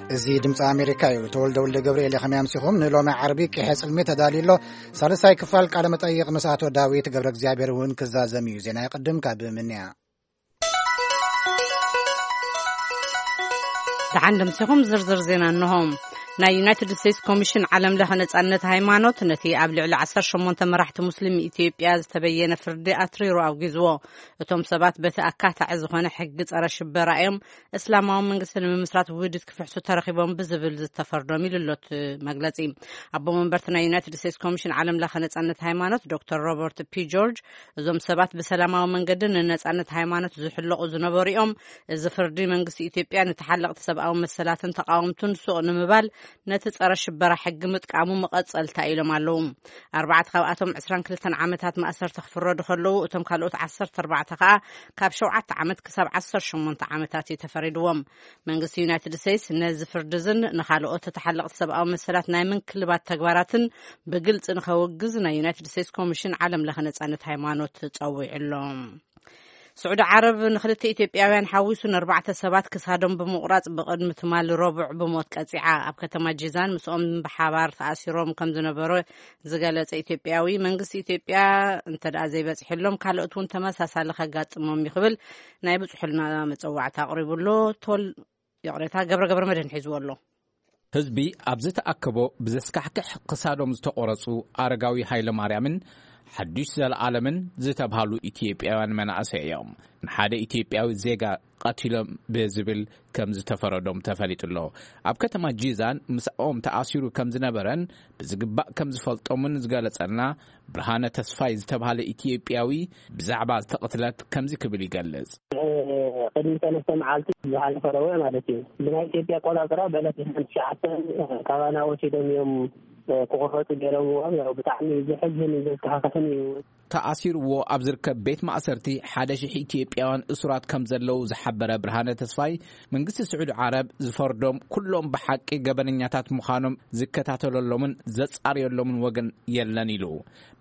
እዚ ድምፂ ኣሜሪካ እዩ። ተወልደ ወልደ ገብርኤል። ከመይ ኣምሲኹም? ንሎሚ ዓርቢ ቂሐ ጽልሚ ተዳልዩ ኣሎ። ሳልሳይ ክፋል ቃለ መጠይቕ ምስ ኣቶ ዳዊት ገብረ እግዚኣብሔር እውን ክዛዘም እዩ። ዜና ይቕድም ካብ ምንያ። ደሓን ደምሲኹም። ዝርዝር ዜና እንሆ። ናይ ዩናይትድ ስቴትስ ኮሚሽን ዓለም ለኸ ነጻነት ሃይማኖት ነቲ ኣብ ልዕሊ ዓሰርተ ሸሞንተ መራሕቲ ሙስሊም ኢትዮጵያ ዝተበየነ ፍርዲ ኣትሪሩ ኣውጊዝዎ። እቶም ሰባት በቲ ኣካታዒ ዝኾነ ሕጊ ጸረ ሽበራ እዮም እስላማዊ መንግስቲ ንምምስራት ውህደት ክፍሕሱ ተረኺቦም ብዝብል ዝተፈርዶም ኢሉ ኣሎ እቲ መግለጺ። ኣቦ መንበርቲ ናይ ዩናይትድ ስቴትስ ኮሚሽን ዓለም ለኸ ነጻነት ሃይማኖት ዶክተር ሮበርት ፒ ጆርጅ፣ እዞም ሰባት ብሰላማዊ መንገዲ ንነጻነት ሃይማኖት ዝሕለቑ ዝነበሩ እዮም። እዚ ፍርዲ መንግስቲ ኢትዮጵያ ንተሓለቕቲ ሰብኣዊ መሰላትን ተቃወምቱን ሱቕ ንምባል ነቲ ጸረ ሽበራ ሕጊ ምጥቃሙ መቐጸልታ ኢሎም ኣለዉ። ኣርባዕተ ካብኣቶም ዕስራን ክልተን ዓመታት ማእሰርቲ ክፍረዱ ከለዉ፣ እቶም ካልኦት ዓሰርተ ኣርባዕተ ከኣ ካብ ሸውዓተ ዓመት ክሳብ ዓሰርተ ሸሞንተ ዓመታት እዩ ተፈሪድዎም። መንግስቲ ዩናይትድ ስቴትስ ነዚ ፍርዲ እዝን ንኻልኦት ተተሓለቕቲ ሰብኣዊ መሰላት ናይ ምንክልባት ተግባራትን ብግልጺ ንኸውግዝ ናይ ዩናይትድ ስቴትስ ኮሚሽን ዓለም ለኸ ነጻነት ሃይማኖት ጸዊዑ ኣሎ። ስዑዲ ዓረብ ንክልተ ኢትዮጵያውያን ሓዊሱ ንኣርባዕተ ሰባት ክሳዶም ብምቑራጽ ብቕድሚ ትማሊ ረቡዕ ብሞት ቀጺዓ። ኣብ ከተማ ጂዛን ምስኦም ብሓባር ተኣሲሮም ከም ዝነበረ ዝገለጸ ኢትዮጵያዊ፣ መንግስቲ ኢትዮጵያ እንተ ደኣ ዘይበጽሐሎም ካልኦት እውን ተመሳሳሊ ከጋጥሞም እዩ ክብል ናይ ብጽሑልና መጸዋዕታ ኣቕሪቡ ኣሎ። ቶል ይቕሬታ፣ ገብረ ገብረ መድህን ሒዝዎ ኣሎ። ህዝቢ ኣብ ዝተኣከቦ ብዘስካሕክሕ ክሳዶም ዝተቖረጹ ኣረጋዊ ሃይለ ማርያምን ሓዱሽ ዘለኣለምን ዝተብሃሉ ኢትዮጵያውያን መናእሰይ እዮም። ንሓደ ኢትዮጵያዊ ዜጋ ቀቲሎም ብዝብል ከም ዝተፈረዶም ተፈሊጡ ኣሎ። ኣብ ከተማ ጂዛን ምስኦም ተኣሲሩ ከም ዝነበረን ብዝግባእ ከም ዝፈልጦምን ዝገለጸልና ብርሃነ ተስፋይ ዝተባህለ ኢትዮጵያዊ ብዛዕባ ዝተቕትለት ከምዚ ክብል ይገልጽ። ቅድሚ ሰለስተ መዓልቲ ዝሓለፈ ረቡዕ ማለት እዩ። ብናይ ኢትዮጵያ ኣቆጻጽራ በለት ትሽዓተ ካባና ወሲዶም እዮም ክቑረጡ ገይሮምዎም። ያው ብጣዕሚ ዘሕዝን ዘስካሕክሕን እዩ። ተኣሲርዎ ኣብ ዝርከብ ቤት ማእሰርቲ ሓደ ሽሕ ኢትዮጵያውያን እሱራት ከም ዘለዉ ዝሓበረ ብርሃነ ተስፋይ፣ መንግስቲ ስዑዲ ዓረብ ዝፈርዶም ኩሎም ብሓቂ ገበነኛታት ምዃኖም ዝከታተለሎምን ዘጻርየሎምን ወገን የለን ኢሉ።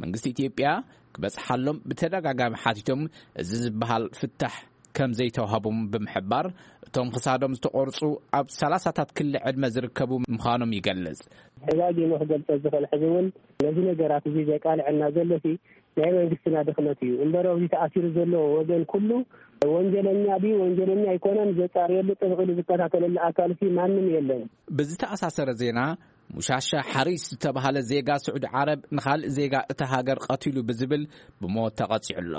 መንግስቲ ኢትዮጵያ ክበጽሓሎም ብተደጋጋሚ ሓቲቶም፣ እዚ ዝበሃል ፍታሕ ከም ዘይተዋህቦም ብምሕባር፣ እቶም ክሳዶም ዝተቖርጹ ኣብ ሰላሳታት ክሊ ዕድመ ዝርከቡ ምዃኖም ይገልጽ። ደጋጊመ ክገልጾ ዝኽእል፣ ሕዚ እውን ነዚ ነገራት እዚ ዘቃልዐና ዘሎ ሲ ናይ መንግስትና ድኽመት እዩ እምበር፣ ኣብዚ ተኣሲሩ ዘሎ ወገን ኩሉ ወንጀለኛ ድዩ ወንጀለኛ ኣይኮነን ዘጻርየሉ፣ ጥብቕ ኢሉ ዝከታተለሉ ኣካል ሲ ማንም የለን። ብዝተኣሳሰረ ዜና፣ ሙሻሻ ሓሪስ ዝተባሃለ ዜጋ ስዑዲ ዓረብ ንኻልእ ዜጋ እታ ሃገር ቀቲሉ ብዝብል ብሞት ተቐጺዑ ኣሎ።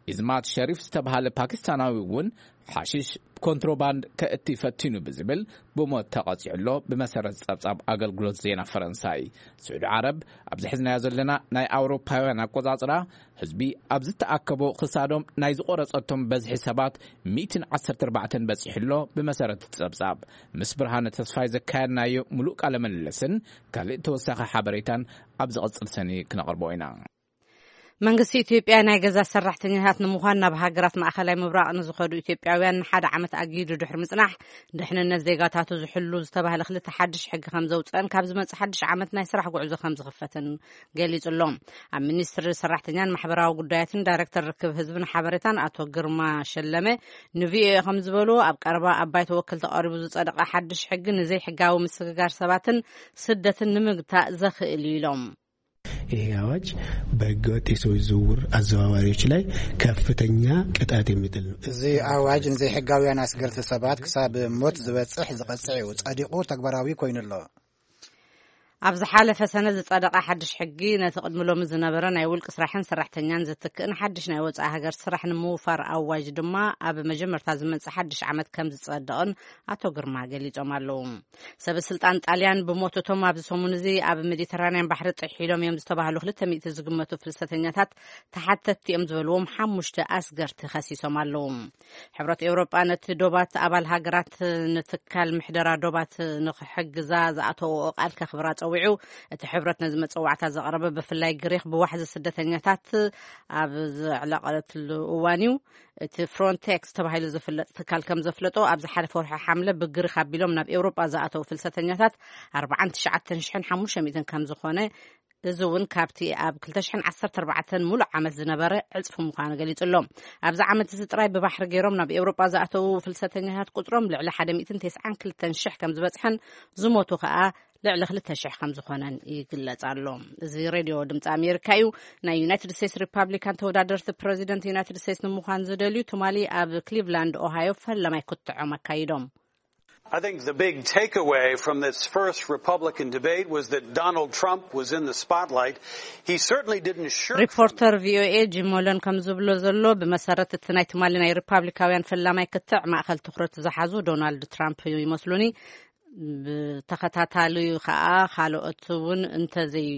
ኢዝማት ሸሪፍ ዝተባሃለ ፓኪስታናዊ እውን ሓሽሽ ኮንትሮባንድ ከእቲ ፈቲኑ ብዝብል ብሞት ተቐጺዑ ኣሎ። ብመሰረት ጸብጻብ ኣገልግሎት ዜና ፈረንሳይ፣ ስዑዲ ዓረብ ኣብዚ ሒዝናዮ ዘለና ናይ ኣውሮፓውያን ኣቆጻጽራ፣ ህዝቢ ኣብ ዝተኣከቦ ክሳዶም ናይ ዝቖረጸቶም በዝሒ ሰባት ሚእትን ዓሰርተ ኣርባዕተን በጺሑ ኣሎ። ብመሰረት እቲ ጸብጻብ፣ ምስ ብርሃነ ተስፋይ ዘካየድናዮ ምሉእ ቃለ ምልልስን ካልእ ተወሳኺ ሓበሬታን ኣብ ዝቕጽል ሰኒ ክነቕርቦ ኢና። መንግስቲ ኢትዮጵያ ናይ ገዛ ሰራሕተኛታት ንምዃን ናብ ሃገራት ማእኸላይ ምብራቕ ንዝኸዱ ኢትዮጵያውያን ንሓደ ዓመት ኣጊዱ ድሕሪ ምጽናሕ፣ ድሕንነት ዜጋታቱ ዝሕሉ ዝተባህለ ክልተ ሓድሽ ሕጊ ከም ዘውጽአን ካብ ዝመጽእ ሓድሽ ዓመት ናይ ስራሕ ጉዕዞ ከም ዝኽፈትን ገሊጹ ኣሎ። ኣብ ሚኒስትሪ ሰራሕተኛን ማሕበራዊ ጉዳያትን ዳይሬክተር ርክብ ህዝብን ሓበሬታን ኣቶ ግርማ ሸለመ ንቪኦኤ ከም ዝበሉ፣ ኣብ ቀረባ ኣብ ባይቶ ወከልቲ ቀሪቡ ዝጸደቐ ሓድሽ ሕጊ ንዘይሕጋዊ ምስግጋር ሰባትን ስደትን ንምግታእ ዘኽእል እዩ ኢሎም። ይህ አዋጅ በህገወጥ የሰዎች ዝውውር አዘዋዋሪዎች ላይ ከፍተኛ ቅጣት የሚጥል ነው። እዚ ኣዋጅ ንዘይሕጋውያን ኣስገርቲ ሰባት ክሳብ ሞት ዝበጽሕ ዝቐጽዕ እዩ። ጸዲቑ ተግባራዊ ኮይኑ ኣሎ። ኣብ ዝሓለፈ ሰነ ዝጸደቐ ሓድሽ ሕጊ፣ ነቲ ቅድሚ ሎሚ ዝነበረ ናይ ውልቂ ስራሕን ሰራሕተኛን ዝትክእን ሓድሽ ናይ ወጻኢ ሃገር ስራሕ ንምውፋር ኣዋጅ ድማ ኣብ መጀመርታ ዝመጽእ ሓድሽ ዓመት ከም ዝጸድቕን ኣቶ ግርማ ገሊጾም ኣለዉ። ሰበ ስልጣን ጣልያን ብሞት እቶም ኣብዚ ሰሙን እዚ ኣብ ሜዲተራንያን ባሕሪ ጥሒሎም እዮም ዝተባህሉ ክልተ ሚእቲ ዝግመቱ ፍልሰተኛታት ተሓተትቲ እዮም ዝበልዎም ሓሙሽተ ኣስገርቲ ከሲሶም ኣለዉ። ሕብረት ኤውሮጳ ነቲ ዶባት ኣባል ሃገራት ንትካል ምሕደራ ዶባት ንክሕግዛ ዝኣተወኦ ቃል ከኽብራ ጸዊዑ። እቲ ሕብረት ነዚ መጸዋዕታ ዘቕረበ ብፍላይ ግሪኽ ብዋሕዚ ስደተኛታት ኣብ ዘዕለቐትሉ እዋን እዩ። እቲ ፍሮንቴክስ ተባሂሉ ዝፍለጥ ትካል ከም ዘፍለጦ፣ ኣብ ዝሓለፈ ወርሒ ሓምለ ብግሪኽ ኣቢሎም ናብ ኤውሮጳ ዝኣተዉ ፍልሰተኛታት ኣርባዓን ትሽዓተን ሽሕን ሓሙሽተ ሚእትን ከም ዝኾነ እዚ እውን ካብቲ ኣብ ክልተ ሽሕን ዓሰርተ ኣርባዕተን ሙሉእ ዓመት ዝነበረ ዕጽፊ ምዃኑ ገሊጹ ኣሎ። ኣብዚ ዓመት እዚ ጥራይ ብባሕሪ ገይሮም ናብ ኤውሮጳ ዝኣተዉ ፍልሰተኛታት ቁጽሮም ልዕሊ ሓደ ሚእትን ተስዓን ክልተን ሽሕ ከም ዝበጽሐን ዝሞቱ ከኣ ልዕሊ ክልተ ሽሕ ከም ዝኾነን ይግለጽ ኣሎ። እዚ ሬድዮ ድምጺ ኣሜሪካ እዩ። ናይ ዩናይትድ ስቴትስ ሪፓብሊካን ተወዳደርቲ ፕረዚደንት ዩናይትድ ስቴትስ ንምዃን ዝደልዩ ትማሊ ኣብ ክሊቭላንድ ኦሃዮ ፈለማይ ክትዖም ኣካይዶም። I think the big takeaway from this first Republican debate was that Donald Trump was in the spotlight. He certainly didn't shirk from ሪፖርተር ቪኦኤ ጂም ሞለን ከም ዝብሎ ዘሎ፣ ብመሰረት እቲ ናይ ትማሊ ናይ ሪፓብሊካውያን ፈላማይ ክትዕ ማእኸል ትኹረት ዝሓዙ ዶናልድ ትራምፕ ይመስሉኒ። ብተኸታታሊ ከኣ ካልኦት እውን እንተዘይ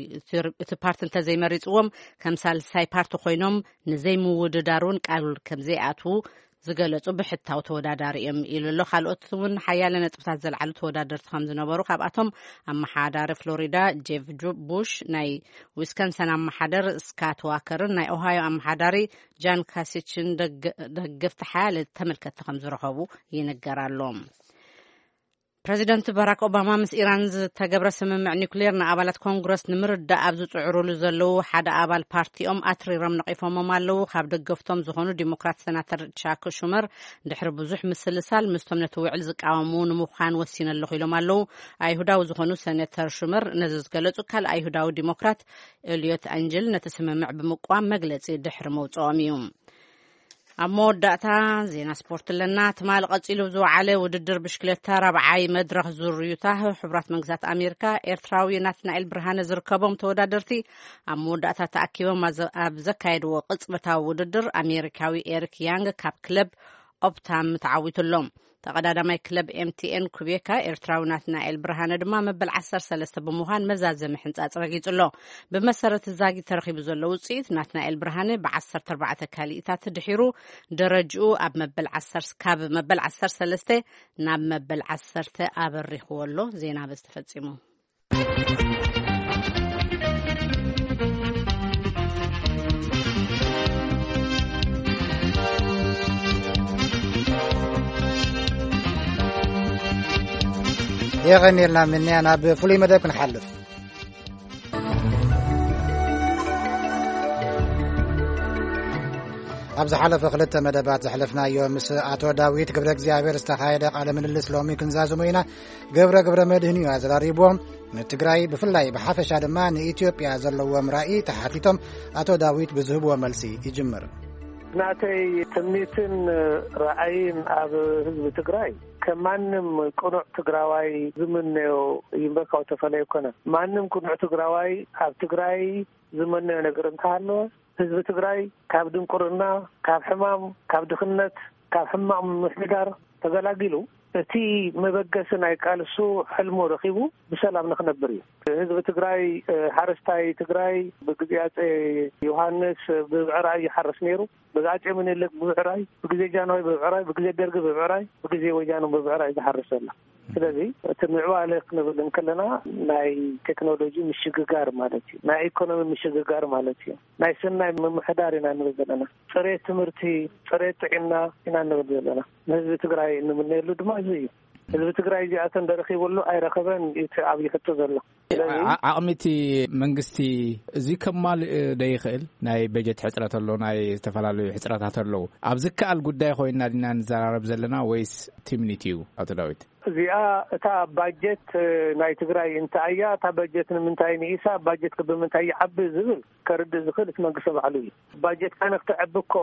እቲ ፓርቲ እንተዘይመሪፅዎም ከም ሳልሳይ ፓርቲ ኮይኖም ንዘይምውድዳር እውን ቃል ከም ዘይኣትዉ ዝገለጹ ብሕታዊ ተወዳዳሪ እዮም ኢሉ ኣሎ። ካልኦት እውን ሓያለ ነጥብታት ዘልዓሉ ተወዳደርቲ ከም ዝነበሩ፣ ካብኣቶም ኣመሓዳሪ ፍሎሪዳ ጄፍ ጁ- ቡሽ፣ ናይ ዊስከንሰን ኣመሓደር ስካት ዋከርን ናይ ኦሃዮ ኣመሓዳሪ ጃን ካሲችን ደገ- ደገፍቲ ሓያለ ተመልከትቲ ከም ዝረኸቡ ይንገር ኣሎ። ፕረዚደንት ባራክ ኦባማ ምስ ኢራን ዝተገብረ ስምምዕ ኒውክሌር ንኣባላት ኮንግረስ ንምርዳእ ኣብ ዝጽዕሩሉ ዘለዉ ሓደ ኣባል ፓርቲኦም ኣትሪሮም ነቒፎሞም ኣለዉ። ካብ ደገፍቶም ዝኾኑ ዲሞክራት ሰናተር ቻክ ሹመር ድሕሪ ብዙሕ ምስልሳል ምስቶም ነቲ ውዕል ዝቃወሙ ንምዃን ወሲነ ኣለኹ ኢሎም ኣለዉ። ኣይሁዳዊ ዝኾኑ ሰነተር ሹመር ነዚ ዝገለጹ ካልእ ኣይሁዳዊ ዲሞክራት ኤልዮት ኣንጅል ነቲ ስምምዕ ብምቅዋም መግለጺ ድሕሪ መውጽኦም እዩ። ኣብ መወዳእታ ዜና ስፖርት ኣለና። ትማሊ ቀጺሉ ብዝወዓለ ውድድር ብሽክለታ ራብዓይ መድረኽ ዙር ዩታ ሕቡራት መንግስታት ኣሜሪካ ኤርትራዊ ናትናኤል ብርሃነ ዝርከቦም ተወዳደርቲ ኣብ መወዳእታ ተኣኪቦም ኣዘ- ኣብ ዘካየድዎ ቅጽበታዊ ውድድር ኣሜሪካዊ ኤሪክ ያንግ ካብ ክለብ ኦፕታም ተዓዊቱ ኣሎ። ተቐዳዳማይ ክለብ ኤምቲኤን ኩቤካ ኤርትራዊ ናትናኤል ብርሃነ ድማ መበል ዓሰርተ ሰለስተ ብምዃን መዛዘሚ ሕንጻጽ ረጊጹ ኣሎ። ብመሰረት ዛጊት ተረኺቡ ዘሎ ውጽኢት ናትናኤል ብርሃነ ብ ዓሰርተ ኣርባዕተ ካሊኢታት ድሒሩ ደረጅኡ ኣብ መበል ዓሰርተ ካብ መበል ዓሰርተ ሰለስተ ናብ መበል ዓሰርተ ኣበሪኽዎ ኣሎ። ዜና በዚ ተፈጺሙ። የቐኒልና ምንያ ናብ ፍሉይ መደብ ክንሓልፍ። ኣብ ዝሓለፈ ክልተ መደባት ዘሕለፍናዮ ምስ ኣቶ ዳዊት ገብረ እግዚኣብሔር ዝተኻየደ ቃለ ምልልስ ሎሚ ክንዛዝሞ ኢና። ገብረ ገብረ መድህን እዩ ኣዘራሪብዎም። ንትግራይ ብፍላይ ብሓፈሻ ድማ ንኢትዮጵያ ዘለዎም ራኢ ተሓቲቶም ኣቶ ዳዊት ብዝህብዎ መልሲ ይጅምር። ናተይ ትምኒትን ራእይን ኣብ ህዝቢ ትግራይ ከም ማንም ቅኑዕ ትግራዋይ ዝምነዮ ይንበካው ተፈለየ ኮነ። ማንም ቅኑዕ ትግራዋይ ኣብ ትግራይ ዝመነዮ ነገር እንተሃለወ ህዝቢ ትግራይ ካብ ድንቁርና፣ ካብ ሕማም፣ ካብ ድኽነት፣ ካብ ሕማቕ ምምሕዳር ተገላጊሉ እቲ መበገሲ ናይ ቃልሱ ሕልሙ ረኺቡ ብሰላም ንኽነብር እዩ። ህዝቢ ትግራይ፣ ሓረስታይ ትግራይ ብግዜ ኣጼ ዮሃንስ ብብዕራይ ይሓርስ ነይሩ። ብግዜ ኣጼ ምኒልክ ብብዕራይ፣ ብግዜ ጃንሆይ ብብዕራይ፣ ብግዜ ደርጊ ብብዕራይ፣ ብግዜ ወያነ ብብዕራይ ዝሓርስ ዘሎ። ስለዚ እቲ ምዕባለ ክንብል እንከለና ናይ ቴክኖሎጂ ምሽግጋር ማለት እዩ። ናይ ኢኮኖሚ ምሽግጋር ማለት እዩ። ናይ ሰናይ ምምሕዳር ኢና ንብል ዘለና። ፅሬት ትምህርቲ፣ ፅሬት ጥዕና ኢና ንብል ዘለና። ንህዝቢ ትግራይ እንምነየሉ ድማ እዚ እዩ። ህዝቢ ትግራይ እዚኣተን ደረኺቡ ኣሎ ኣይረኸበን እቲ ኣብይ ሕቶ ዘሎ። ስለዚ ዓ- ዓቕሚ እቲ መንግስቲ እዚ ከማልእ ዶ ይኽእል? ናይ በጀት ሕፅረት ኣሎ፣ ናይ ዝተፈላለዩ ሕፅረታት ኣለዉ። ኣብ ዝከኣል ጉዳይ ኮይና ዲና ንዘራረብ ዘለና ወይስ ትምኒት እዩ? ኣቶ ዳዊት። እዚኣ እታ ባጀት ናይ ትግራይ እንታይ እያ፣ እታ ባጀት ንምንታይ ንኢሳ፣ ባጀት ብምንታይ ይዓቢ ዝብል ከርድእ ዝኽእል እቲ መንግስቲ ባዕሉ እዩ። ባጀትካ ንክትዕቢ እኮ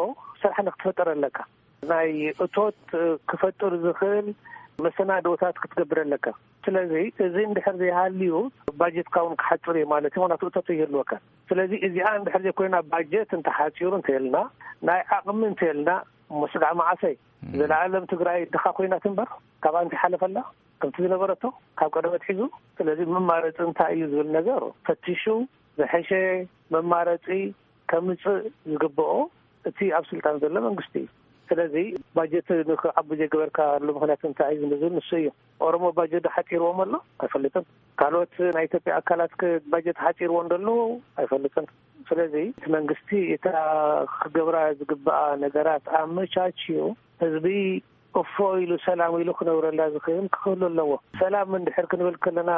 ስራሕ ንክትፈጥር ኣለካ። ናይ እቶት ክፈጥር ዝኽእል መሰናድኦታት ክትገብር ኣለካ። ስለዚ እዚ እንድሕር ዘይሃልዩ ባጀትካ እውን ክሓፅር እዩ ማለት እዩ። ምክንያቱ እቶት ይህልወካ። ስለዚ እዚኣ እንድሕር ዘይኮይና ባጀት እንተሓፂሩ እንተልና ናይ ዓቕሚ እንተልና እሞ ስጋዕ መዓሰይ ዘለኣለም ትግራይ ድኻ ኮይና ትንበር ካብኣ እንታይ ሓለፈላ ከምቲ ዝነበረቶ ካብ ቀደም ኣትሒዙ። ስለዚ መማረፂ እንታይ እዩ ዝብል ነገር ፈቲሹ ዝሐሸ መማረፂ ከምፅእ ዝግብኦ እቲ ኣብ ስልጣን ዘሎ መንግስቲ እዩ። ስለዚ ባጀት ንክዓቢ ዘይገበርካሉ ምክንያት እንታይ እዩ ዝብል ንሱ እዩ። ኦሮሞ ባጀት ሓፂርዎም ኣሎ ኣይፈልጥን። ካልኦት ናይ ኢትዮጵያ ኣካላት ባጀት ሓፂርዎ እንደሎ ኣይፈልጥን። ስለዚ እቲ መንግስቲ እታ ክገብራ ዝግብኣ ነገራት ኣመቻችዩ ህዝቢ እፎ ኢሉ ሰላም ኢሉ ክነብረላ ዝኽእል ክህሉ ኣለዎ። ሰላም እንድሕር ክንብል ከለና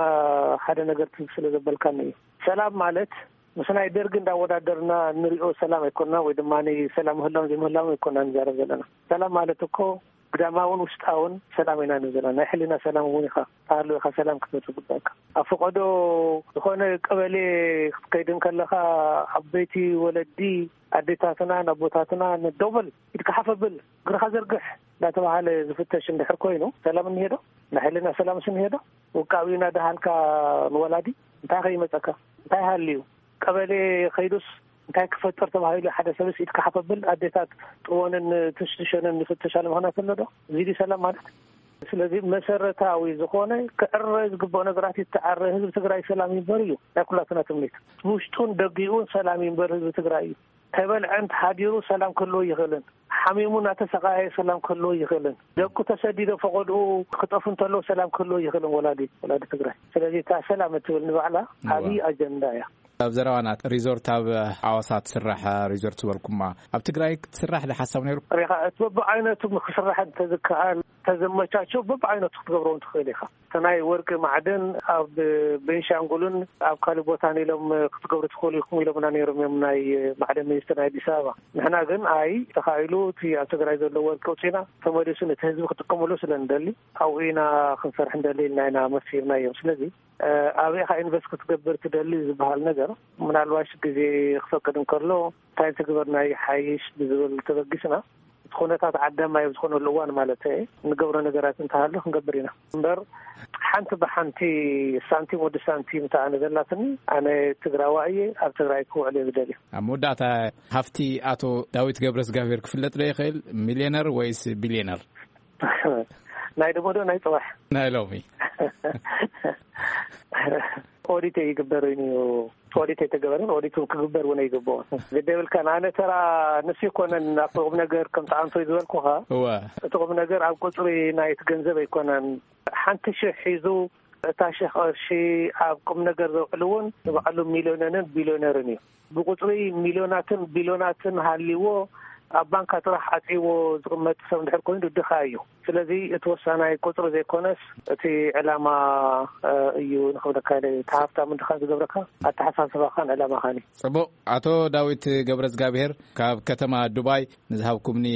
ሓደ ነገር ትዝ ስለ ዘበልካኒ እዩ። ሰላም ማለት ምስ ናይ ደርጊ እንዳወዳደርና ንሪኦ ሰላም ኣይኮንና፣ ወይ ድማ ሰላም ምህላውን ዘይምህላውን ኣይኮንና ንዛረብ ዘለና። ሰላም ማለት እኮ ግዳማውን ውሽጣውን ሰላም ኢና ንብል ዘለና። ናይ ሕሊና ሰላም እውን ኢኻ፣ ተሃልው ኢኻ ሰላም ክትብል ዝግባእካ። ኣብ ፈቐዶ ዝኾነ ቀበሌ ክትከይድ እንከለኻ፣ ዓበይቲ ወለዲ፣ ኣዴታትና፣ ኣቦታትና፣ ንደውበል ኢድካ ሓፍ ኣብል፣ እግርኻ ዘርግሕ እንዳተባሃለ ዝፍተሽ እንድሕር ኮይኑ፣ ሰላም እኒሄ ዶ? ናይ ሕሊና ሰላምስ እኒሄ ዶ? ውቃብኡ እናደሃልካ ንወላዲ እንታይ ከይመፀካ? እንታይ ሃልዩ? ቀበሌ ከይዱስ እንታይ ክፈጥር ተባሂሉ? ሓደ ሰብስ ኢድካ ሓፍ ኣብል፣ ኣዴታት ጥወንን ትሽትሸንን ይፍተሻሉ ምኽንያት ኣሎ ዶ? እዚ ድዩ ሰላም ማለት? ስለዚ መሰረታዊ ዝኾነ ክዕረ ዝግብኦ ነገራት ይተዓረ። ህዝቢ ትግራይ ሰላም ይንበር እዩ ናይ ኩላትና ትምኒት። ውሽጡን ደጊኡን ሰላም ይንበር ህዝቢ ትግራይ እዩ። ተበልዐን ተሓዲሩ ሰላም ክህልዎ ይኽእልን፣ ሓሚሙ እናተሰቃየ ሰላም ክህልዎ ይኽእልን፣ ደቁ ተሰዲዶ ፈቐድኡ ክጠፉ እንተለዉ ሰላም ክህልዎ ይኽእልን ወላዲ፣ ወላዲ ትግራይ። ስለዚ እታ ሰላም እትብል ንባዕላ እወ። ዓብዪ ኣጀንዳ እያ። ኣብ ዘረባና ሪዞርት ኣብ ሓዋሳ ትስራሕ ሪዞርት ዝበልኩማ ኣብ ትግራይ ክትስራሕ ዶ ሓሳብ ነይሩ? ሪኻ እቲ በብዓይነቱ ክስራሕ እንተዝከኣል፣ ተዘመቻቸው በብዓይነቱ ክትገብሮ እውን ትኽእል ኢኻ። እቲ ናይ ወርቂ ማዕድን ኣብ ቤንሻንጉልን ኣብ ካልእ ቦታን ኢሎም ክትገብሩ ትኽእሉ ኢኹም ኢሎምና ነይሮም እዮም ናይ ማዕድን ሚኒስትር ናይ ኣዲስ ኣበባ። ንሕና ግን ኣይ ተኻኢሉ እቲ ኣብ ትግራይ ዘሎ ወርቂ ውፅኢና ተመሊሱ ነቲ ህዝቢ ክጥቀመሉ ስለ ንደሊ ኣብኡ ኢና ክንሰርሕ እንደሊ ኢልና ኢና መሲርናዮም። ስለዚ ኣበይ ኢኻ ኢንቨስት ክትገብር ትደሊ ዝበሃል ነገር ምናልባሽ ግዜ ክፈቅድ እንከሎ እንታይ ትግበርና ይሓይሽ ብዝብል ተበጊስና እቲ ኩነታት ዓዳማይ ኣብ ዝኾነሉ እዋን ማለት እየ ንገብሮ ነገራት እንተሃሉ ክንገብር ኢና እምበር ሓንቲ ብሓንቲ ሳንቲም ወዲ ሳንቲም እታ ኣነ ዘላትኒ ኣነ ትግራዋ እየ ኣብ ትግራይ ክውዕል እየ ዝደልዩ። ኣብ መወዳእታ ሃፍቲ ኣቶ ዳዊት ገብረስጋብሔር ክፍለጥ ዶ ይኽእል? ሚልዮነር ወይስ ቢልዮነር? ናይ ደሞዶ ናይ ፅባሕ ናይ ሎሚ ኦዲት ይግበር እዩ። ኦዲት ኣይተገበረን፣ ኦዲት እውን ክግበር እውን ኣይግብኦን። ግደ የብልካን። ኣነ ተራ ንሱ ይኮነን ኣብቲ ቁም ነገር ከም ተዓንቶ እዩ ዝበልኩኻ። እወ። እቲ ቁም ነገር ኣብ ቁፅሪ ናይቲ ገንዘብ ኣይኮነን። ሓንቲ ሽሕ ሒዙ እታ ሽሕ ቅርሺ ኣብ ቁም ነገር ዘውዕል እውን ንባዕሉ ሚልዮነርን ቢልዮነርን እዩ። ብቁፅሪ ሚልዮናትን ቢልዮናትን ሃልይዎ ኣብ ባንካ ጥራሕ ዓፅይዎ ዝቕመጥ ሰብ እንድሕር ኮይኑ ድኻ እዩ። ስለዚ እቲ ወሳናይ ቁፅሪ ዘይኮነስ እቲ ዕላማ እዩ ንክብለካ ኢለ። እቲ ሃፍታም እንድኻ ዝገብረካ ኣተሓሳስባኻን ዕላማኻን እዩ። ፅቡቕ። ኣቶ ዳዊት ገብረዝጋብሔር ካብ ከተማ ዱባይ ንዝሃብኩምኒ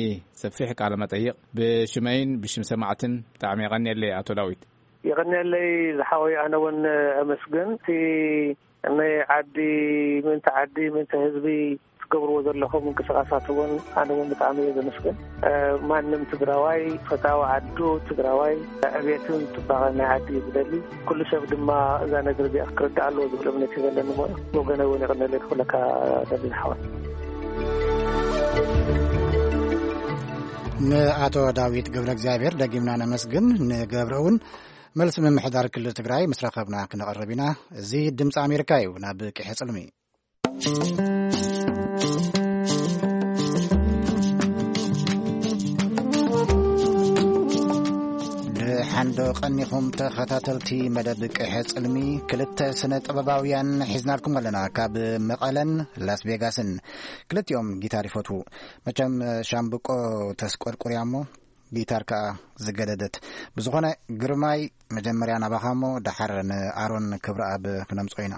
ሰፊሕ ቃለ መጠይቕ ብሽመይን ብሽም ሰማዕትን ብጣዕሚ የቐንየለይ ኣቶ ዳዊት። የቐንየለይ ዝሓወይ ኣነ እውን ኣመስግን እቲ ናይ ዓዲ ምእንቲ ዓዲ ምእንቲ ህዝቢ ትገብርዎ ዘለኹም ምንቅስቃሳት እውን ኣነ እውን ብጣዕሚ እየ ዘመስግን። ማንም ትግራዋይ ፈታዊ ዓዱ ትግራዋይ ዕብየትን ፅባቐ ናይ ዓዲ እዩ ዝደሊ። ኩሉ ሰብ ድማ እዛ ነገር እዚኣ ክርዳእ ኣለዎ ዝብል እምነት እዩ ዘለኒ። ሞ ወገነ እውን የቐንየለይ ክብለካ ደሊ ዝሓወይ። ንኣቶ ዳዊት ገብረ እግዚኣብሔር ደጊምና ነመስግን። ንገብረ እውን መልሲ ምምሕዳር ክልል ትግራይ ምስ ረኸብና ክነቕርብ ኢና። እዚ ድምፂ ኣሜሪካ እዩ። ናብ ቅሐ ፅልሚ ደሓን ዶ ቀኒኹም ተኸታተልቲ መደብ ቅሐ ፅልሚ? ክልተ ስነ ጥበባውያን ሒዝናልኩም ኣለና። ካብ መቐለን ላስ ቬጋስን ክልቲኦም ጊታር ይፈትዉ። መቸም ሻምብቆ ተስቆርቁርያ እሞ ጊታር ከኣ ዝገደደት። ብዝኾነ ግርማይ መጀመርያ ናባኻ እሞ ደሓር ንኣሮን ክብረኣብ ክነምጽኦ ኢና።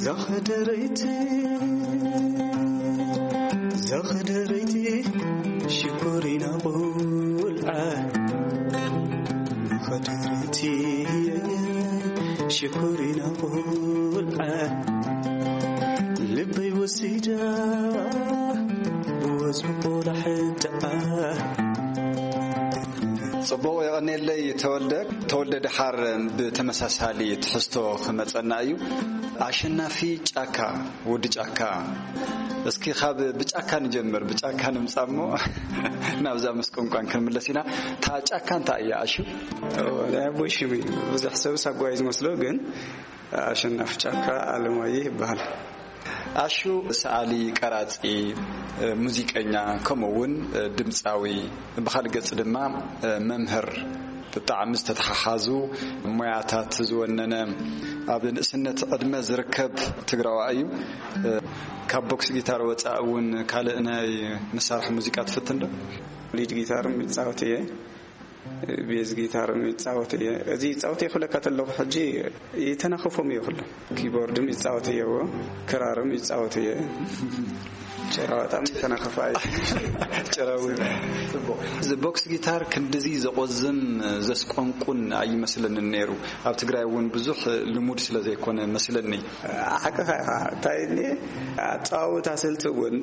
ዛኸደረይቲ ዛኸደረይቲ ሽኮሪና ቁልዓ ዛኸደረይቲ ሽኮሪና ቁልዓ ልበይ ወሲዳ ብወዝቢ ቆላሕትኣ ጽቡቕ የቐኔለይ ተወልደ። ተወልደ ደሓር ብተመሳሳሊ ትሕዝቶ ክመጸና እዩ። ኣሸናፊ ጫካ፣ ወዲ ጫካ። እስኪ ካብ ብጫካ ንጀምር፣ ብጫካ ንምጻእ እሞ ናብዛ ምስ ቋንቋን ክንምለስ ኢና። እታ ጫካ እንታይ እያ ኣሹ? ናይ ኣቦይ ሽም እዩ። ብዙሕ ሰብ ሳጓ እዩ ዝመስሎ፣ ግን ኣሸናፊ ጫካ ኣለማየሁ ይበሃል። ኣሹ ሰኣሊ፣ ቀራጺ፣ ሙዚቀኛ፣ ከምኡ እውን ድምጻዊ፣ ብኻልእ ገጽ ድማ መምህር ብጣዕሚ ዝተተሓሓዙ ሞያታት ዝወነነ ኣብ ንእስነት ዕድመ ዝርከብ ትግራዋ እዩ። ካብ ቦክስ ጊታር ወፃእ እውን ካልእ ናይ መሳርሒ ሙዚቃ ትፍትን ዶ? ሊድ ጊታር ይፃወት እየ፣ ቤዝ ጊታር ይፃወት እየ። እዚ ይፃወት እየ ክብለካ ተለኹ ሕጂ ይተናኸፎም እየ ኩሎም። ኪቦርድም ይፃወት እየዎ፣ ክራርም ይፃወት እየ። ጭራ በጣም ተናኸፋይ። ጭራዊ። ጽቡቕ። እዚ ቦክስ ጊታር ክንድዚ ዘቆዝም ዘስቆንቁን ኣይመስለንን ነይሩ። ኣብ ትግራይ እውን ብዙሕ ልሙድ ስለ ዘይኮነ መስለኒ። ሓቅኻ ኢኻ። እንታይ እኒ ኣጸዋውታ ስልቲ እውን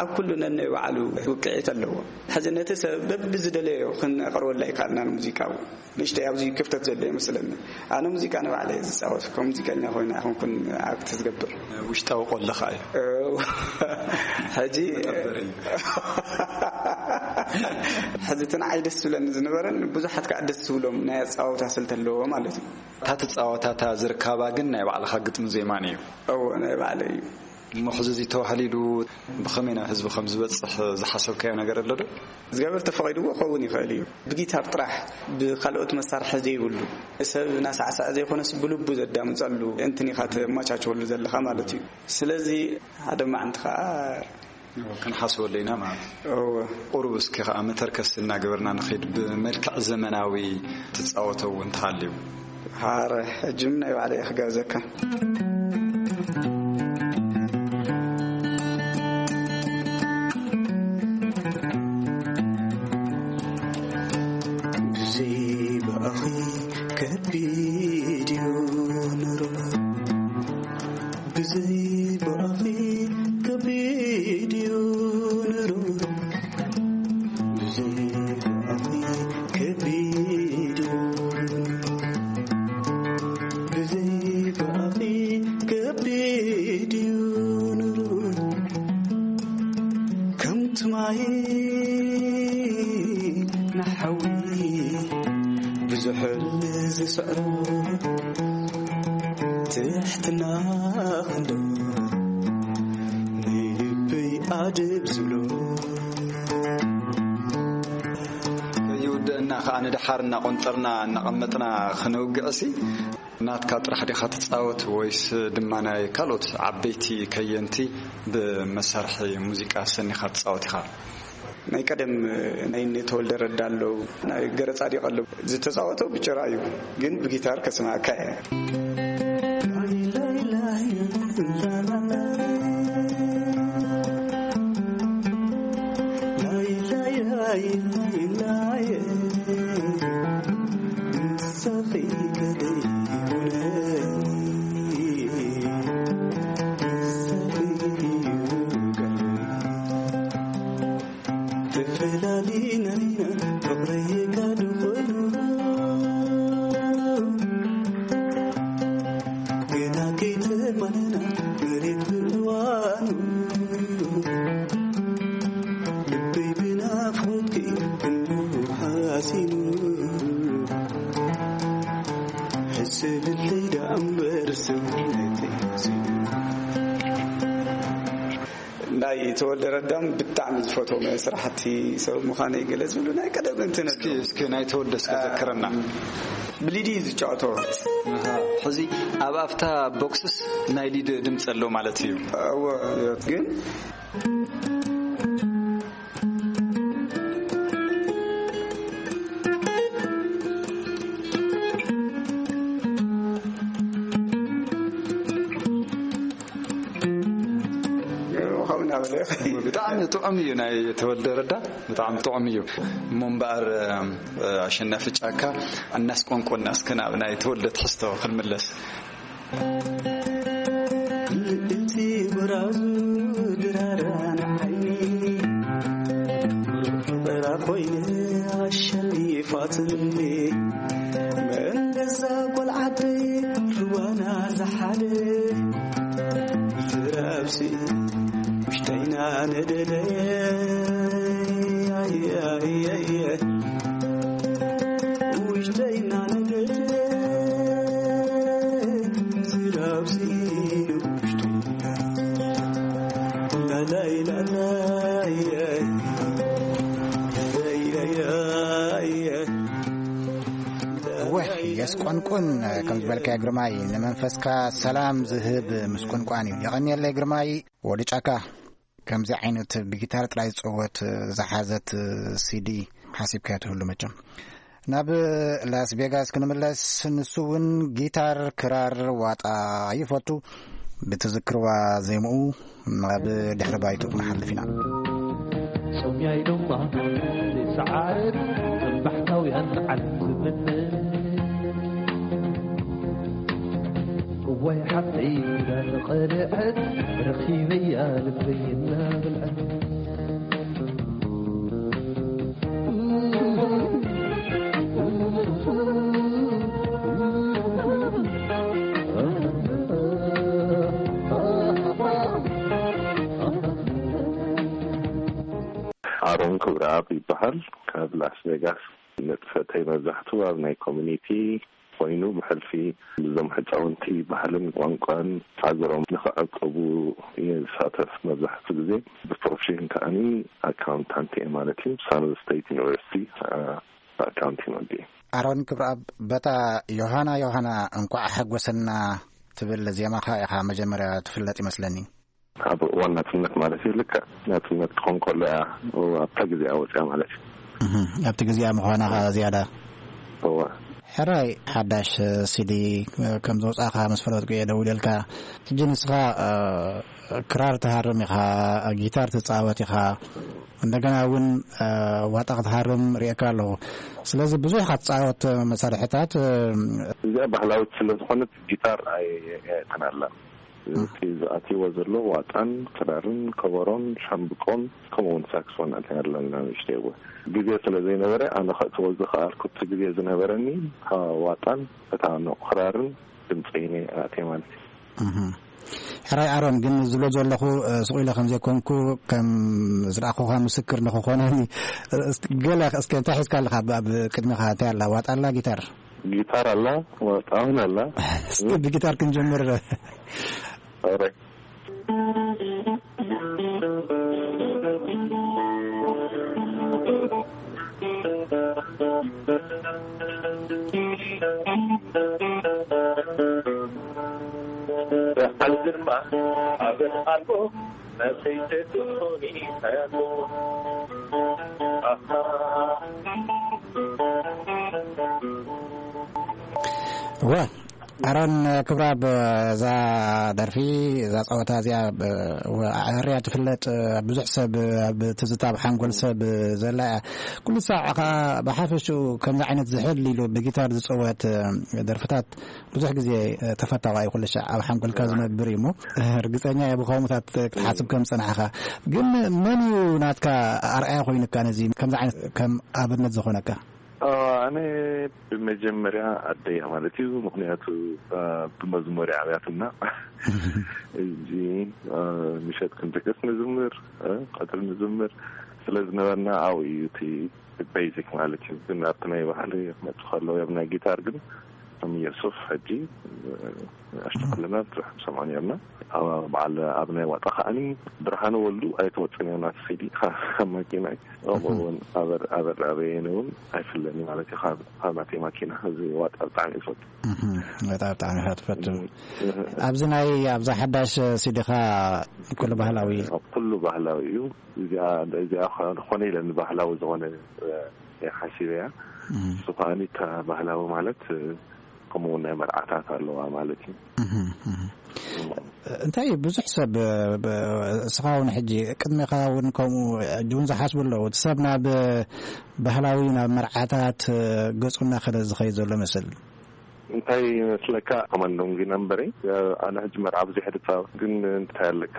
ኣብ ኩሉ ነናይ ባዕሉ ውቅዒት ኣለዎ። ሕዚ ነቲ ሰብ በብዝደለዮ ክነቕርበላ ይከኣልና ንሙዚቃ እውን። ንእሽተይ ኣብዚ ክፍተት ዘሎ ይመስለኒ። ኣነ ሙዚቃ ንባዕለይ እየ ዝጻወት፣ ከም ሙዚቀኛ ኮይነ ኣይኮንኩን ኣክት ዝገብር። ውሽጣዊ ቆለኻ እዩ። እው። ሕጂ መጠበሪ እዩ። ሕዚ እቲ ንዓይ ደስ ዝብለኒ ዝነበረን ብዙሓት ከዓ ደስ ዝብሎም ናይ ኣጻወታ ስልቲ ኣለዎ ማለት እዩ። እታ ትጻወታ እታ ዝርካባ ግን ናይ ባዕልኻ ግጥሚ ዜማን እዩ። እዎ፣ ናይ ባዕለይ እዩ። እሞ ሕዚ እዚ ተባህሊሉ ብኸመይ ናብ ህዝቢ ከም ዝበጽሕ ዝሓሰብካዮ ነገር ኣሎ ዶ? እግዚኣብሔር ተፈቒድዎ ክኸውን ይኽእል እዩ። ብጊታር ጥራሕ፣ ብኻልኦት መሳርሒ ዘይብሉ፣ ሰብ እናሳዕሰዐ ዘይኮነስ ብልቡ ዘዳምጸሉ እንትን ኢኻ ተመቻችወሉ ዘለኻ ማለት እዩ። ስለዚ ሓደ መዓልቲ ኸዓ እዎ፣ ክንሓስበሉ ኢና ማለት እዩ። እዎ። ቁሩብ እስኪ ኸዓ መተርከስ እናገበርና ንኸይድ፣ ብመልክዕ ዘመናዊ ትጻወቶ እውን ተሃልዩ። ሓረ፣ ሕጂ ምን ናይ ባዕለይ ክጋብዘካ። ብዘይ ብኣኺ ከቢድ እዩ ኑሮ፣ ብዘይ ብኣኺ ከቢድ እዩ ኑሮ፣ ብዘይ ብኣኺ ከቢድ እዩ፣ ብዘይ ብኣኺ ከቢድ እዩ ኑሮ። ከምቲ ማይ ንሓዊ ብዙሕ ዝስዕሮ፣ ትሕትና ክንዶ ንልበይ ኣድብ ዝብሎ። ከይውድእና ኸዓ ንደሓር እናቖንጠርና እናቐመጥና ኽንውግዕሲ፣ ናትካ ጥራሕ ዲኻ ትጻወት ወይስ ድማ ናይ ካልኦት ዓበይቲ ከየንቲ ብመሳርሒ ሙዚቃ ሰኒኻ ትጻወት ኢኻ? ናይ ቀደም ናይ እነ ተወልደ ረዳ ኣለዉ፣ ናይ ገረ ጻዲቕ ኣለዉ። ዝተጻወቶ ብጭራ እዩ፣ ግን ብጊታር ከስማዕካ እየ። ተፈላሊና ኢና ፍቕረይ ጋዱ ኮይኑ፣ ግና ከይተማነና መሬት ብእዋኑ፣ ልበይ ብናፍቆትኪ ክንዱ ሓሲኑ፣ ሕሰብለይ ደኣ እምበር ሰውነተይ ሓሲኑ። ናይ ተወልደ ረዳም ብጣዕሚ ዝፈትዎም ስራሕቲ ሰብ ምዃነይ ገለ ዝብሉ ናይ ቀደም እንትን እስኪ፣ እስኪ ናይ ተወልደ እስኪ ዘክረና። ብሊዲ ዝጫወቶ። ኣሃ፣ ሕዚ ኣብ ኣፍታ ቦክስስ ናይ ሊድ ድምፂ ኣሎ ማለት እዩ። እወ፣ ግን ብጣዕሚ ጥዑም እዩ ናይ ተወልደ ረዳ፣ ብጣዕሚ ጥዑም እዩ። እሞ እምበኣር፣ ኣሸናፊ ጫካ፣ እናስቆንቆና እስከ ናብ ናይ ተወልደ ትሕዝቶ ክንምለስ። ልእንቲ በራዙ ድራራ ንዓይኒ፣ ፍቕራ ኮይነ ኣሸኒፋትኒ። መንገዛ ቆልዓተይ ርዋና ዝሓደ፣ ዝራብሲ ውሽጠይና ነደደ። ውሽጠይና ነደደ። ዝራብሲ ውሽጠይና። ላላይ ላላይ። ላላይ ላላይ። ምስቆንቁን፣ ከም ዝበልካዮ ግርማይ፣ ንመንፈስካ ሰላም ዝህብ ምስቆንቋን እዩ። የቐንየለይ ግርማይ። ወዲ ጫካ ከምዚ ዓይነት ብጊታር ጥራይ ዝጸወት ዝሓዘት ሲዲ ሓሲብካዮ ትህሉ መቸም። ናብ ላስ ቬጋስ ክንምለስ፣ ንሱ እውን ጊታር፣ ክራር፣ ዋጣ ይፈቱ። ብትዝክርዋ ዜምኡ ናብ ድሕሪ ባይትኡ ክንሓልፍ ኢና። ጾምያይ ድማ ዘይሰዓር፣ ከም ባሕታውያን በዓል ዝምነ። እዋይ ሓፍተይ እንዳተቐልዐት፣ ረኺበያ ልበይ እናበልዐት። ኣሮን ክብረኣብ ይበሃል። ካብ ላስ ቬጋስ። ንጥፈተይ መብዛሕትኡ ኣብ ናይ ኮሚኒቲ ኮይኑ፣ ብሕልፊ እዞም ህፃውንቲ ባህልን ቋንቋን ሃገሮም ንኽዕቅቡ እየ ዝሳተፍ። መብዛሕትኡ ግዜ ብፕሮፌሽን ከኣኒ ኣካውንታንት እየ ማለት እዩ። ሳን ስቴት ዩኒቨርሲቲ ኣካውንቲንግ ወዲ። ኣሮን ክብረኣብ፣ በታ ዮሃና ዮሃና እንኳዕ ሓጎሰና ትብል ዜማኻ ኢኻ መጀመርያ ትፍለጥ ይመስለኒ። ኣብ እዋን ናጽነት ማለት እዩ። ልክዕ ናጽነት ክኾን ከሎ እያ ኣብታ ግዜኣ ወጽያ ማለት እዩ። እህ፣ ኣብቲ ግዜኣ ምዃና ኸኣ ዝያዳ። እወ። ሕራይ፣ ሓዳሽ ሲዲ ከም ዝወጻእካ ምስ ፈለጥኩ እየ ደዊለልካ። ሕጂ ንስኻ፣ እ፣ ክራር ትሃርም ኢኻ፣ ጊታር ትጻወት ኢኻ፣ እንደገና እውን፣ እ፣ ዋጣ ክትሃርም ርእየካ ኣለኹ። ስለዚ ብዙሕ ኢኻ ትጻወት መሳርሕታት፣ እ፣ እዚኣ ባህላዊት ስለ ዝኾነት ጊታር ኣይ-፣ ኣይእትን ኣላ። እቲ ዝኣትይዎ ዘሎ ዋጣን ክራርን ከበሮን ሻምብቆን ከምኡ እውን ሳክስፎን ኣትና ኣለና ንእሽተይ እወ። ግዜ ስለ ዘይነበረ ኣነ ከእትዎ ዝኸኣልኩ እቲ ግዜ ዝነበረኒ ዋጣን እታ ንኡ ክራርን ድምፀይን እየ ኣእትየ ማለት እዩ። እህ። ሕራይ ኣሮን፣ ግን ዝብሎ ዘለኹ፣ እ፣ ስቕ ኢለ ከም ዘይኮንኩ ከም ዝረኣኹኻ ምስክር ንኽኾነኒ፣ እ፣ እስኪ ገለ እስከ እንታይ ሒዝካ ኣለኻ? ኣብ፣ ኣብ ቅድሚኻ እንታይ ኣላ? ዋጣ ኣላ? ጊታር? ጊታር ኣላ፣ ዋጣ እውን ኣላ። እስኪ ብጊታር ክንጀምር። ኦሬ። ዋ፣ ኣሮን ክብራብ፣ እዛ ደርፊ፣ እዛ ጸወታ እዚኣ፣ ብ-፣ ኣዕርያ ትፍለጥ፣ ብዙሕ ሰብ ኣብ ትዝታ፣ ኣብ ሓንጎል ሰብ ዘላ እያ። ኩሉ ሳዕ ከኣ ብሓፈሽኡ ከምዚ ዓይነት ዝሕል ኢሉ ብጊታር ዝጸወት ደርፍታት ብዙሕ ግዜ ተፈታዊ እዩ፣ ኩሉ ሻዕ ኣብ ሓንጎልካ ዝነብር እዩ እሞ፣ ርግጸኛ እየ ብኸምኡታት ክትሓስብ ከም ዝጸናሕኻ። ግን መን እዩ ናትካ ኣርኣያ ኮይኑካ፣ ነዚ ከምዚ ዓይነት ከም ኣብነት ዝኾነካ? አ፣ ኣነ ብመጀመርያ ኣደይ እያ ማለት እዩ። ምኽንያቱ፣ አ፣ ብመዝሙር እያ ኣብያትና። እዚ፣ አ፣ ምሸት ክንድቅስ ንዝምር፣ አ፣ ቀትሪ ንዝምር ስለ ዝነበርና ኣብኡ እዩ እቲ ቤዚክ ማለት እዩ። ግን ኣብቲ ናይ ባህሊ ክመጽእ ከሎ፣ ኣብ ናይ ጊታር ግን ከም የሱፍ ሕጂ፣ እ፣ ኣሽቱ ኩልና ብዙሕ ንሰምዖ ነርና። ኣብ በዓል ኣብ ናይ ዋጣ ከኣኒ ብርሃነ ወልዱ ኣይትወጽን እያ ናቲ ሲዲ ካብ ማኪናይ። ከምኡ እውን ኣበር-፣ ኣበር ኣበየነ እውን ኣይፍለኒ ማለት እዩ ካብ፣ ካብ ናተይ ማኪና። እዚ ዋጣ ብጣዕሚ እየ ዝፈቱ። እህ፣ ዋጣ ብጣዕሚ ኢኻ ትፈቱ። እህ፣ እህ። ኣብዚ ናይ፣ ኣብዛ ሓዳሽ ሲዲኻ ኩሉ ባህላዊ? ኩሉ ባህላዊ እዩ። እዚኣ፣ እዚኣ ኾነ ኢለ ንባህላዊ ዝኾነ፣ እ፣ እየ ሓሲበያ። እም። እሱ ከኣኒ እታ ባህላዊ ማለት፣ እ፣ ከምኡ እውን ናይ መርዓታት ኣለዋ ማለት እዩ። እም፣ እም። እንታይ እዩ ብዙሕ ሰብ፣ እ፣ ብ-፣ እስኻ እውን ሕጂ ቅድሜኻ እውን ከምኡ ሕጂ እውን ዝሓስቡ ኣለዉ። እቲ ሰብ ናብ ባህላዊ፣ ናብ መርዓታት፣ እ፣ ገጹ እናኸደ ዝኸይድ ዘሎ መስል። እንታይ ይመስለካ? ኮማንዶም ጊና እምበረይ፣ ኣነ ሕጂ መርዓ ብዙሕ ድጻወት፣ ግን እንታይ ኣለካ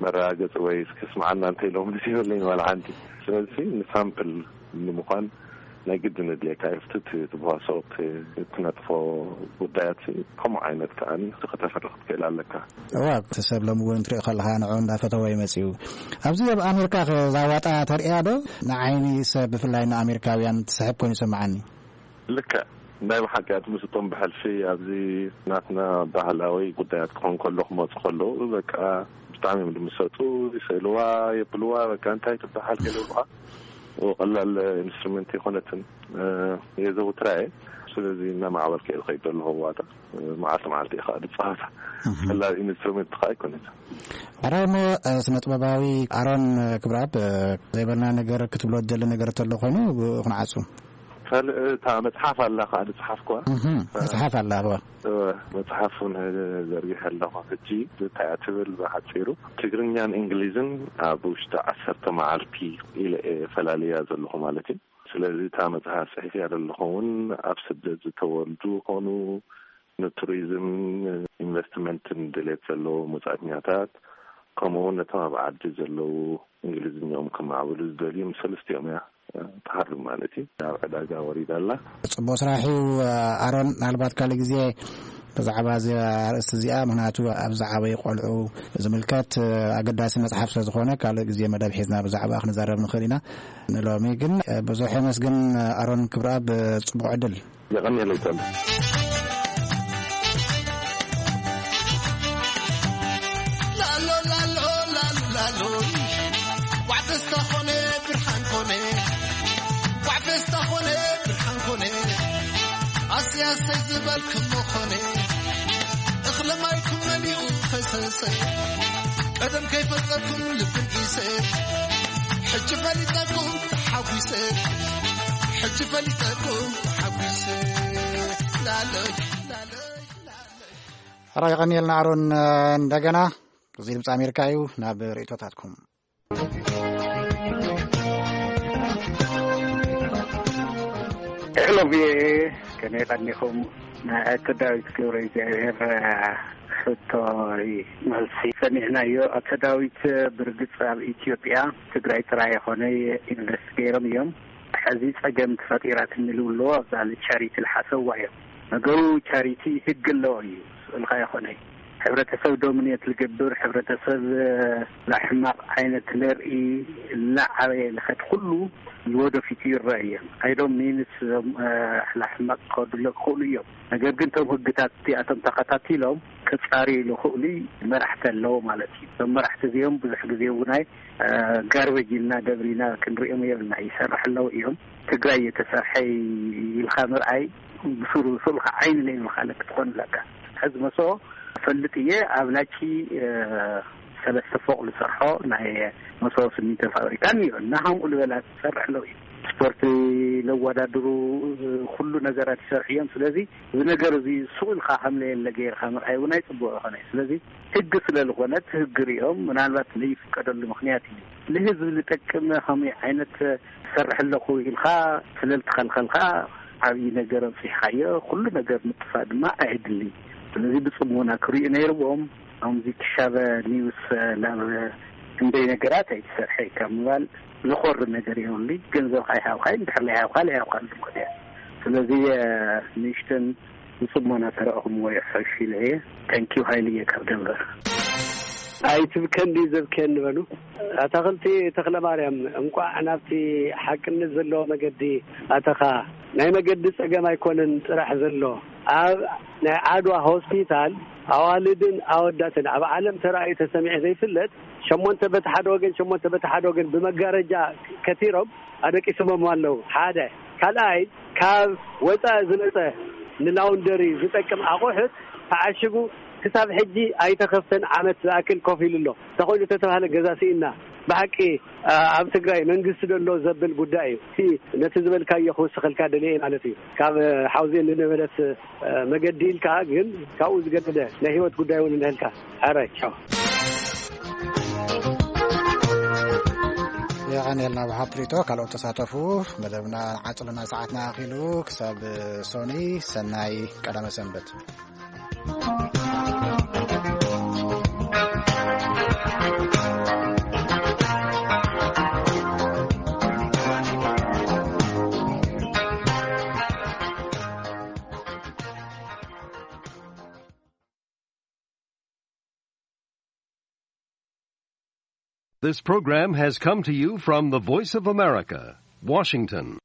መረጋገጺ ወይ እስኪ ስምዓና እንተ ኢሎም ምስ ይብለኝ ዋላ ሓንቲ። ስለዚ ንሳምፕል ንምዃን ናይ ግድን ኣድልየካ እዩ። እቲ ትብዋሶ፣ እቲ እትነጥፎ ጉዳያት ከምኡ ዓይነት ከኣኒ ከተፍሪ ክትክእል ኣለካ። እዋ፣ እቲ ሰብ ሎሚ እውን ትሪኦ ከለኻ ንዕኡ እንዳፈተወ እዩ መጺኡ። ኣብዚ ኣብ ኣሜሪካ ከ እዛ ዋጣ ተርእያ ዶ? ንዓይኒ ሰብ ብፍላይ ንኣሜሪካውያን ትስሕብ ኮይኑ ይሰምዓኒ። ልክዕ። ናይ ብሓቂ ኣትምስጦም ብሕልፊ ኣብዚ ናትና ባህላዊ ጉዳያት ክኾን ከሎ ክመፁ ከለዉ በቃ ብጣዕሚ እዮም ድምሰጡ፣ ይስእልዋ፣ የብልዋ፣ በቃ እንታይ ትበሃል ገለ ይብሉኻ። ቀላል ኢንስትሩመንት የኾነትን፣ እ፣ የዘውትራ እየ። ስለዚ እናማዕበልካ እዩ ዝኸይድ ዘሎ። ከዋታ መዓልቲ መዓልቲ እዩ ከዓ ዝፀወታ። ፈላል ኢንስትሩሜንት ከዓ ኣይኮነትን። ሕራይ እሞ፣ እ፣ ስነ ጥበባዊ ኣሮን ክብረኣብ፣ እ፣ ዘይበልና ነገር ክትብሎ ትደሊ ነገር ተሎ ኮይኑ ብ-፣ ክንዓጹ። ካልእ እታ መጽሓፍ ኣላ ከዓ ዝጸሓፍኩዋ። እህ፣ መጽሓፍ ኣላ፣ እወ። እወ፣ መጽሓፍ እውን ዘርጊሐ ኣለኹ። ሕጂ እንታይ እያ ትብል ብሓጺሩ? ትግርኛን እንግሊዝን ኣብ ውሽጢ ዓሰርተ መዓልቲ ኢለ እየ ፈላልያ ዘለኹ ማለት እዩ። ስለዚ እታ መጽሓፍ ጽሒፍያ ዘለኹ እውን ኣብ ስደት ዝተወልዱ ይኾኑ፣ ንቱሪዝም ኢንቨስትመንትን ድሌት ዘለዎም ወጻእተኛታት፣ ከምኡ እውን ነቶም ኣብ ዓዲ ዘለዉ እንግሊዝኛኦም ከማዕብሉ ዝደልዩ ምስ ሰለስቲኦም እያ ትሃርም ማለት እዩ። ናብ ዕዳጋ ወሪዳ ኣላ። ጽቡቕ ስራሕ እዩ ኣሮን። ምናልባት ካልእ ግዜ ብዛዕባ እዚ ኣርእስቲ እዚኣ፣ ምኽንያቱ ኣብ ዝዓበዩ ቆልዑ ዝምልከት ኣገዳሲ መጽሓፍ ስለ ዝኾነ፣ ካልእ ግዜ መደብ ሒዝና ብዛዕባ ክንዛረብ ንኽእል ኢና። ንሎሚ ግን ብዙሕ የመስግን ኣሮን ክብረኣብ፣ ጽቡቕ ዕድል። የቐንየለይ ጸንቱ። ላሎ ላሎ ላሎ ላሎ፣ ዋዕ ደስታ ኾነ ብርሃን ኾነ፣ ዋዕ ደስታ ኾነ ብርሃን ኾነ፣ ኣሰይ ኣሰይ ዝበልክሞ ኾነ፣ እኽለ ማይኩም መሊኡ ፈሰሰ፣ ቀደም ከይፈለኩም ልብን ኢሰ፣ ሕጂ ፈሊጠኩም ተሓጒሰ፣ ሕጂ ፈሊጠኩም ተሓጒሰ። ላለይ፣ ላለይ፣ ላለይ። ሕራይ የቐንየልና ኣሮን። እንደገና እዚ ድምፂ ኣሜሪካ እዩ። ናብ ርእቶታትኩም። ሄሎ ቪኦኤ፣ ከመይ ቀኒኹም? ናይ ኣቶ ዳዊት ገብረ እግዚኣብሔር ሕቶ እዩ መልሲ። ሰሚዕናዮ። ኣቶ ዳዊት፣ ብርግጽ ኣብ ኢትዮጵያ ትግራይ ጥራይ ኣይኮነ ኢንቨስት ገይሮም እዮም። ሕዚ ጸገም ተፈጢራትኒ ዝብልዎ ኣብዛ ቻሪቲ ዝሓሰብዋ እዮም። ነገሩ ቻሪቲ ህግ ኣለዎ እዩ። ስእልካ ይኾነ ሕብረተሰብ ዶሚኔት ዝገብር፣ ሕብረተሰብ ላሕማቕ ዓይነት ለርኢ፣ እናዓበየ ልኸድ ኩሉ ንወደፊቱ ይረአ እዮም። ኣይዶም ሚንስ ላሕማቕ ክኸዱሎ ክኽእሉ እዮም። ነገር ግን እቶም ህግታት እዚኣቶም ተኸታቲሎም ክጻርዩ ዝኽእሉ መራሕቲ ኣለዎ ማለት እዩ። እዞም መራሕቲ እዚኦም ብዙሕ ግዜ እውን ኣይ ጋርበጅ ኢልና ደብሪና ክንሪኦም የብልና። ይሰርሕ ኣለዉ እዮም። ትግራይ እየተሰርሐ ኢልካ ምርኣይ ብሱሩ ስእልካ ዓይኒ ለይብልካ ለክ ትኾን ኣለካ። ሕዚ መሶ ፈልጥ እየ ኣብ ላቺ ሰለስተ ፎቕ ዝሰርሖ ናይ መሶ ስሚንቶ ፋብሪካ እኒኦ እና ከምኡ ዝበላ ትሰርሕ ኣለዉ እዩ። ስፖርት ለወዳድሩ ኩሉ ነገራት ይሰርሑ እዮም። ስለዚ እዚ ነገር እዚ ሱቕ ኢልካ ከም ለየለ ገይርካ ምርኣይ እውን ኣይፅቡቕ ይኾነ። ስለዚ ህግ ስለ ዝኾነ እቲ ህግ ሪኦም ምናልባት ለይፍቀደሉ ምኽንያት እዩ። ንህዝቢ ዝጠቅም ከመይ ዓይነት ትሰርሕ ኣለኹ ኢልካ ስለ ልትኸልኸልካ ዓብዪ ነገር ኣምፂሕካዮ። ኩሉ ነገር ምጥፋእ ድማ ኣየድልን። ስለዚ ብፅሞና ክሪኡ ነይርዎም። ኣምዚ ክሻበ ኒውስ ናብ ክንደይ ነገራት ኣይትሰርሐ ካብ ምባል ዝኾሪ ነገር የብሉ። ገንዘብ ኣይሃብካይ እንድሕር ለይሃብካ ለይሃብካ ልትኮን እያ። ስለዚ ንእሽተን ብጽሞና ተረእኹምዎ ይሕሽ ኢለ እየ። ተንኪው ሃይልየ ካብ ደንበር። ኣይትብከን ድዩ ዘብክየኒ በሉ። ኣታኽልቲ ተኽለ ማርያም፣ እንቋዕ ናብቲ ሓቅነት ዘለዎ መገዲ ኣተኻ። ናይ መገዲ ጸገም ኣይኮነን ጥራሕ ዘሎ። ኣብ ናይ ዓድዋ ሆስፒታል ኣዋልድን ኣወዳትን ኣብ ዓለም ተራእዩ ተሰሚዑ ዘይፍለጥ፣ ሸሞንተ በቲ ሓደ ወገን፣ ሸሞንተ በቲ ሓደ ወገን ብመጋረጃ ከቲሮም ኣደቂሶሞም ኣለዉ። ሓደ። ካልኣይ፣ ካብ ወፃኢ ዝመፀ ንላውንደሪ ዝጠቅም ኣቑሑት ተዓሽጉ ክሳብ ሕጂ ኣይተኸፍተን ዓመት ዝኣክል ኮፍ ኢሉ ኣሎ። ተኾይኑ ተተባህለ ገዛ ስኢና። ብሓቂ፣ ኣ-፣ ኣብ ትግራይ መንግስቲ ዶ ኣሎ ዘብል ጉዳይ እዩ። እቲ ነቲ ዝበልካዮ ክውስኸልካ ደልየ ማለት እዩ። ካብ ሓውዜን ንነበለት መገዲ ኢልካ ግን ካብኡ ዝገደደ ናይ ህይወት ጉዳይ እውን እንሀልካ። ሕራይ፣ ቻው። የቐንየልና ብሓብ ፕሪቶ፣ ካልኦት ተሳተፉ። መደብና ዓጽልና ሰዓትና ኣኺሉ። ክሳብ ሶኒ፣ ሰናይ ቀዳመ ሰንበት። This program has come to you from the Voice of America, Washington.